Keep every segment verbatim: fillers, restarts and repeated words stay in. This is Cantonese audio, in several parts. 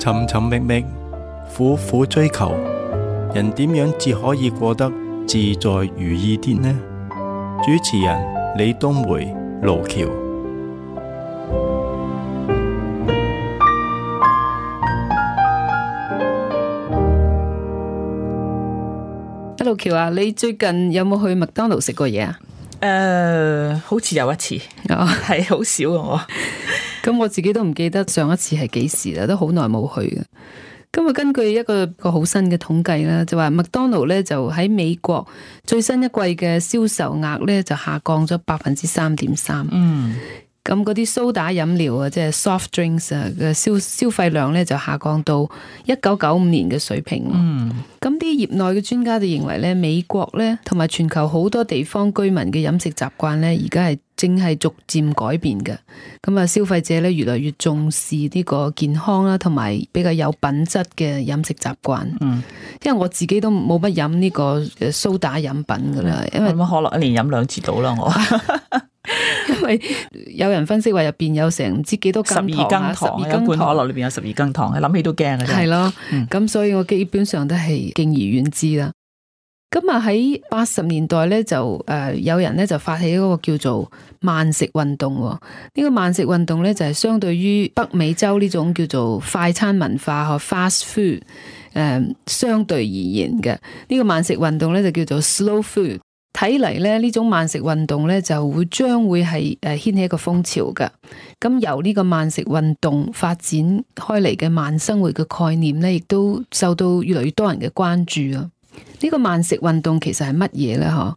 尋尋覓覓，苦苦追求，人點樣至可以過得自在如意啲呢？主持人李東梅、盧橋。盧橋啊，你最近有冇去麥當勞食過嘢啊？誒、呃，好似有一次，係好、oh. 少嘅我。咁我自己都唔記得上一次係幾時啦，都好耐冇去嘅。咁啊，根據一個一個好新嘅統計啦，就話麥當勞咧就喺美國最新一季嘅銷售額咧就下降咗百分之三點三。嗯。咁嗰啲蘇打飲料啊，即係 soft drinks 啊嘅消消費量咧就下降到一九九五年嘅水平。嗯，咁啲業內嘅專家就認為咧，美國咧同埋全球好多地方居民嘅飲食習慣咧，而家係正係逐漸改變嘅。咁啊，消費者咧越嚟越重視呢個健康啦，同埋比較有品質嘅飲食習慣。嗯，因為我自己都冇乜飲呢個蘇打飲品噶啦，因為可樂一年飲兩次到啦我。因為有人分析話入邊有成唔知幾多斤糖，十二羹糖，一罐可樂裏邊有十二羹糖，諗起都驚嘅。係咯，咁、嗯、所以我基本上都係敬而遠之啦。咁啊喺八十年代咧就誒、呃、有人咧就發起一個叫做慢食運動。呢、這個慢食運動咧就係相對於北美洲呢種叫做快餐文化和 fast food 誒、呃、相對而言嘅。呢、這個慢食運動咧就叫做 slow food。睇嚟咧，呢種慢食運動咧就會將會係誒掀起一個風潮㗎。咁由呢個慢食運動發展開嚟嘅慢生活嘅概念咧，亦都受到越嚟越多人嘅關注啊。呢個慢食運動其實係乜嘢咧？嗬？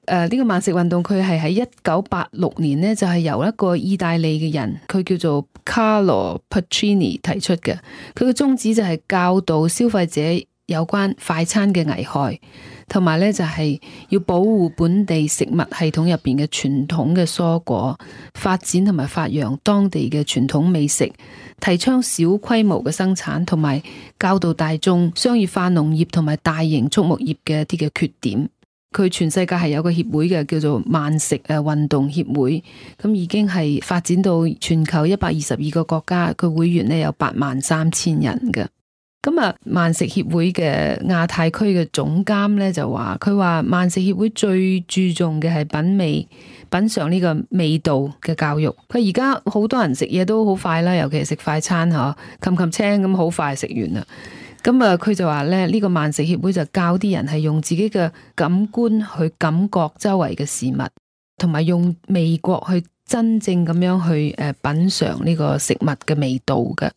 誒，呢個慢食運動佢係喺一九八六年咧，就係由一個意大利嘅人，佢叫做 Carlo Pacini 提出嘅。佢嘅宗旨就係教導消費者有關快餐嘅危害。同埋咧就係要保護本地食物系統入邊嘅傳統嘅蔬果，發展同埋發揚當地嘅傳統美食，提倡小規模嘅生產，同埋教導大眾商業化農業同埋大型畜牧業嘅一啲嘅缺點。佢全世界係有個協會嘅，叫做慢食誒運動協會，咁已經係發展到全球一百二十二個國家，佢會員咧有八萬三千人嘅。咁啊，慢食協會嘅亞太區嘅總監咧就話，佢話慢食協會最注重嘅係品味、品嘗呢個味道嘅教育。佢而家好多人食嘢都好快啦，尤其係食快餐嗬，冚冚青咁好快食完啦。咁啊，佢就話咧，呢個慢食協會就教啲人係用自己嘅感官去感覺周圍嘅事物，同埋用味覺去真正咁樣去誒品嘗呢個食物嘅味道嘅。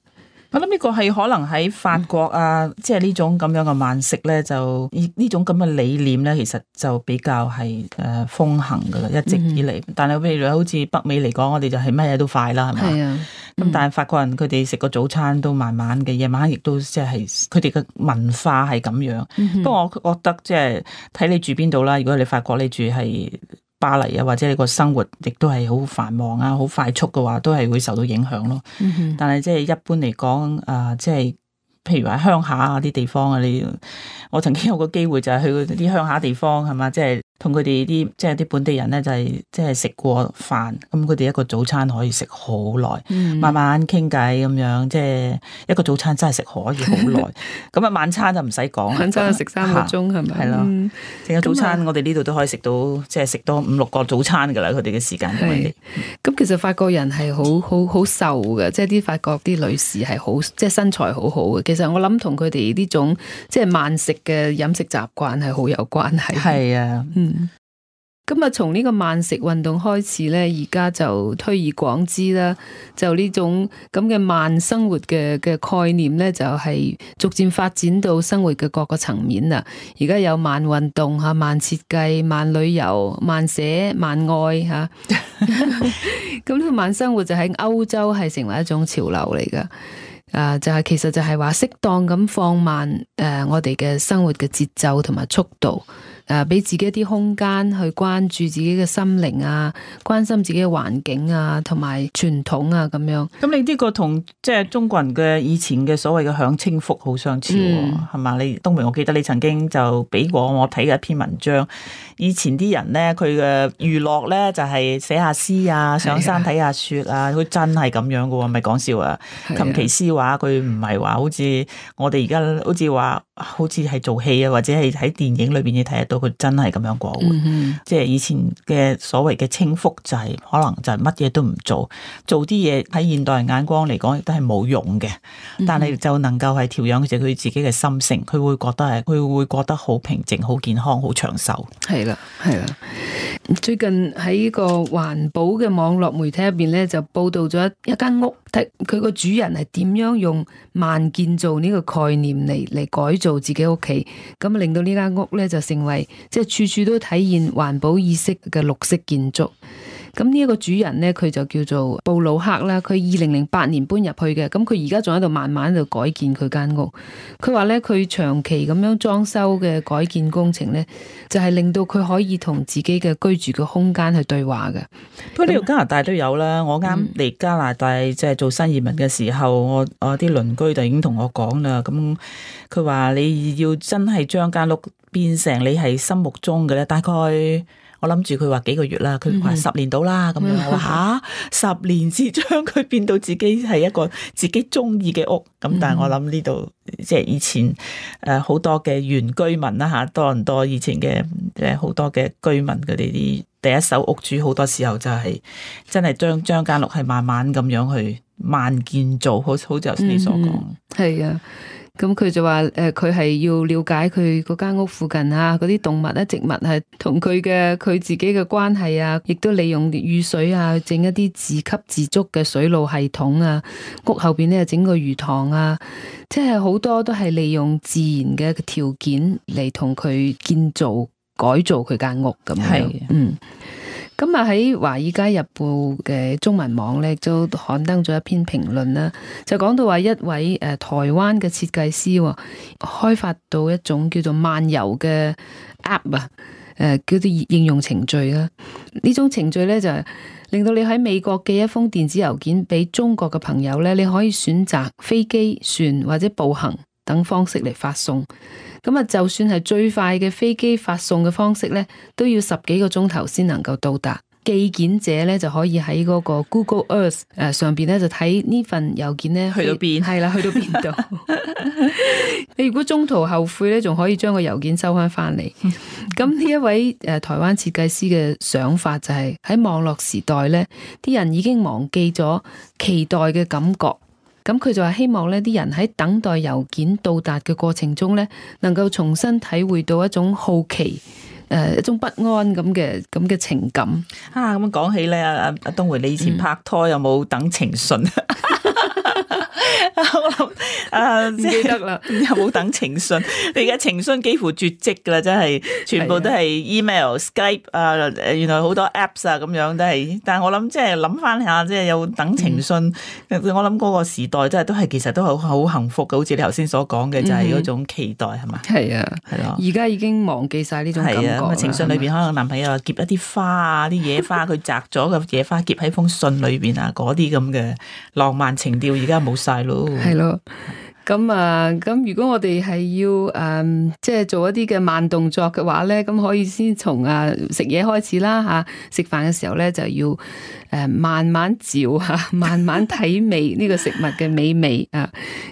我諗呢個係可能喺法國啊，嗯、即係呢種咁樣嘅慢食咧，就呢種咁嘅理念咧，其實就比較係誒風行噶啦，一直以嚟。嗯、但係譬如好似北美嚟講，我哋就係乜嘢都快啦，係咪？係啊。咁、嗯、但係法國人佢哋食個早餐都慢慢嘅，夜晚亦都即係佢哋嘅文化係咁樣。嗯、不過我覺得即係睇你住邊度啦。如果你法國你住係巴黎啊，或者你個生活亦都係好繁忙啊，好快速嘅話，都係會受到影響咯。嗯、哼但係即係一般嚟講，啊、呃，即係譬如話鄉下啊啲地方啊，你我曾經有個機會就係去啲鄉下地方係嘛，即係同佢哋啲即係啲本地人咧，就係即係食過飯，咁佢哋一個早餐可以食好耐，嗯、慢慢傾偈咁樣，即係一個早餐真係食可以好耐。咁啊晚餐就唔使講，晚餐食三個鐘係咪？係咯，成個早餐我哋呢度都可以食到，即係食多五六個早餐噶啦。佢哋嘅時間同我哋。咁其實法國人係好好好瘦嘅，即係啲法國啲女士係好，即係身材好好嘅。其實我諗同佢哋呢種即係慢食嘅飲食習慣係好有關係。係啊，嗯。咁啊，從呢個慢食運動開始咧，而家就推而廣之啦。就呢種咁嘅慢生活嘅嘅概念咧，就係逐漸發展到生活嘅各個層面啦。而家有慢運動吓、慢設計、慢旅遊、慢寫、慢愛吓。咁呢個慢生活就喺歐洲係成為一種潮流嚟噶。啊，就係其實就係話適當咁放慢誒、呃，我哋嘅生活嘅節奏同埋速度。誒俾自己一啲空間去關注自己嘅心靈啊，關心自己嘅環境啊，同埋傳統啊咁樣。咁你呢個同即係中國人嘅以前嘅所謂嘅享清福好相似喎，係嘛、嗯？你東梅，我記得你曾經就俾過我睇嘅一篇文章，以前啲人咧佢嘅娛樂咧就係寫下詩啊，上山睇下雪啊，佢真係咁樣嘅喎，唔係講笑啊！琴棋詩畫佢唔係話好似我哋而家好似話好似係做戲啊，或者係喺電影裏邊你睇得到，佢真係咁樣過活。嗯、哼即係以前嘅所謂嘅清福就係、是、可能就係乜嘢都唔做，做啲嘢喺現代人眼光嚟講亦都係冇用嘅，但係就能夠係調養住佢自己嘅心性，佢會覺得係佢會覺得好平靜、好健康、好長壽。係啦，係啦。最近喺個環保嘅網絡媒體入邊咧，就報道咗一間屋，睇佢個主人係點樣用慢建造呢個概念嚟嚟改造自己屋企，咁令到呢間屋咧就成為即係處處都體現環保意識嘅綠色建築。咁呢一個主人咧，佢就叫做布魯克啦。佢二零零八年搬入去嘅，咁佢而家仲喺度慢慢喺度改建佢間屋。佢話咧，佢長期咁樣裝修嘅改建工程咧，就係令到佢可以同自己嘅居住嘅空間去對話嘅。不過呢度加拿大都有啦。我啱嚟加拿大即係做新移民嘅時候，我我啲鄰居就已經同我講啦。咁佢話你要真係將間屋變成你係心目中嘅咧，大概。我諗住佢話幾個月啦，佢話十年到啦咁樣。我話吓，十年至將佢變到自己係一個自己中意嘅屋。咁但係我諗呢度即係以前誒好多嘅原居民啦吓，多倫多以前嘅誒好多嘅居民佢哋啲第一手屋主，好多時候就係真係將將間屋係慢慢咁樣去慢建造，好好似頭先你所講。係啊。咁佢就話誒，佢係要了解佢嗰間屋附近啊，嗰啲動物咧、植物係同佢嘅佢自己嘅關係啊，亦都利用雨水啊，整一啲自給自足嘅水路系統啊。屋後邊咧整個魚塘啊，即係好多都係利用自然嘅條件嚟同佢建造改造佢間屋咁樣。係，嗯。咁啊喺《華爾街日報》嘅中文網咧，都刊登咗一篇評論啦，就講到話一位誒台灣嘅設計師開發到一種叫做漫遊嘅 app 啊，誒叫做應用程序啦。呢種程序咧就係令到你喺美國寄一封電子郵件俾中國嘅朋友咧，你可以選擇飛機、船或者步行等方式嚟發送。咁啊，就算係最快嘅飛機發送嘅方式咧，都要十幾個鐘頭先能夠到達。寄件者咧就可以喺嗰個 Google Earth 誒上邊咧就睇呢份郵件咧去到邊，係啦，去到邊度。你如果中途後悔咧，仲可以將個郵件收翻翻嚟。咁呢一位誒台灣設計師嘅想法就係喺網絡時代咧，啲人已經忘記咗期待嘅感覺。咁佢就話希望呢啲人喺等待郵件到達嘅過程中呢，能夠重新體會到一種好奇，誒一種不安咁嘅咁嘅情感。啊，咁講起咧，阿阿阿東梅，你以前拍拖有冇等情信？我諗啊，唔記得啦，有冇等情信？你而家情信幾乎絕跡噶啦，真係全部都係 email、Skype 啊，原來好多 apps 啊，咁樣都係。但係我諗即係諗翻下，即係有等情信。嗯、我諗嗰個時代真係都係其實都係好幸福嘅，好似你頭先所講嘅，就係嗰種期待係嘛？係啊，係咯。而家已經忘記晒呢種感覺啦。係啊，情信裏邊可能男朋友啊夾一啲花啊，啲野花佢摘咗嘅野花夾喺封信裏邊啊，嗰啲咁嘅浪漫情調而家冇晒咯。係咯，咁啊，咁如果我哋係要誒、嗯，即係做一啲嘅慢動作嘅話咧，咁可以先從啊食嘢開始啦吓，食飯嘅時候咧就要誒慢慢嚼吓，慢慢體味呢個食物嘅美味啊，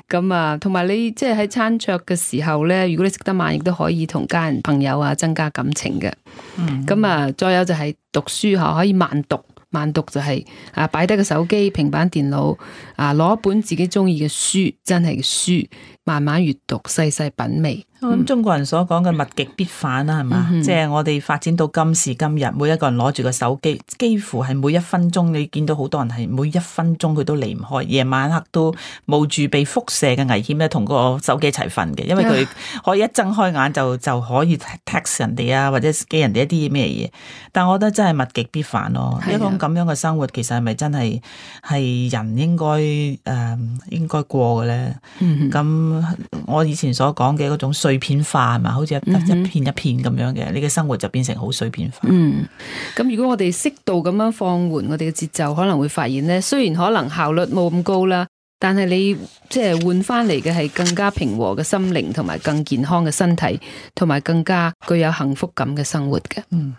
咁啊，同埋你即係喺餐桌嘅時候咧，如果你食得慢，亦都可以同家人朋友啊增加感情嘅。嗯，咁啊，再有就係讀書吓，可以慢讀。慢讀就係啊，擺低個手機、平板電腦啊，攞一本自己中意嘅書，真係嘅書，慢慢閱讀，細細品味。咁、嗯、中國人所講嘅物極必反啦，係嘛？嗯、哼即係我哋發展到今時今日，每一個人攞住個手機，幾乎係每一分鐘，你見到好多人係每一分鐘佢都離唔開，夜晚黑都冒住被輻射嘅危險咧，同個手機一齊瞓嘅，因為佢可以一睜開眼就就可以 text 人哋啊，或者寄人哋一啲咩嘢。但我覺得真係物極必反咯，的一種咁樣嘅生活，其實係咪真係係人應該誒、呃、應該過嘅咧？咁、嗯、哼我以前所講嘅嗰種碎片化係嘛，好似一一片一片咁樣嘅，你嘅生活就變成好碎片化。嗯，咁如果我哋適度咁樣放緩我哋嘅節奏，可能會發現咧，雖然可能效率冇咁高啦，但係你即係換翻嚟嘅係更加平和嘅心靈，同埋更健康嘅身體，同埋更加具有幸福感嘅生活嘅。嗯。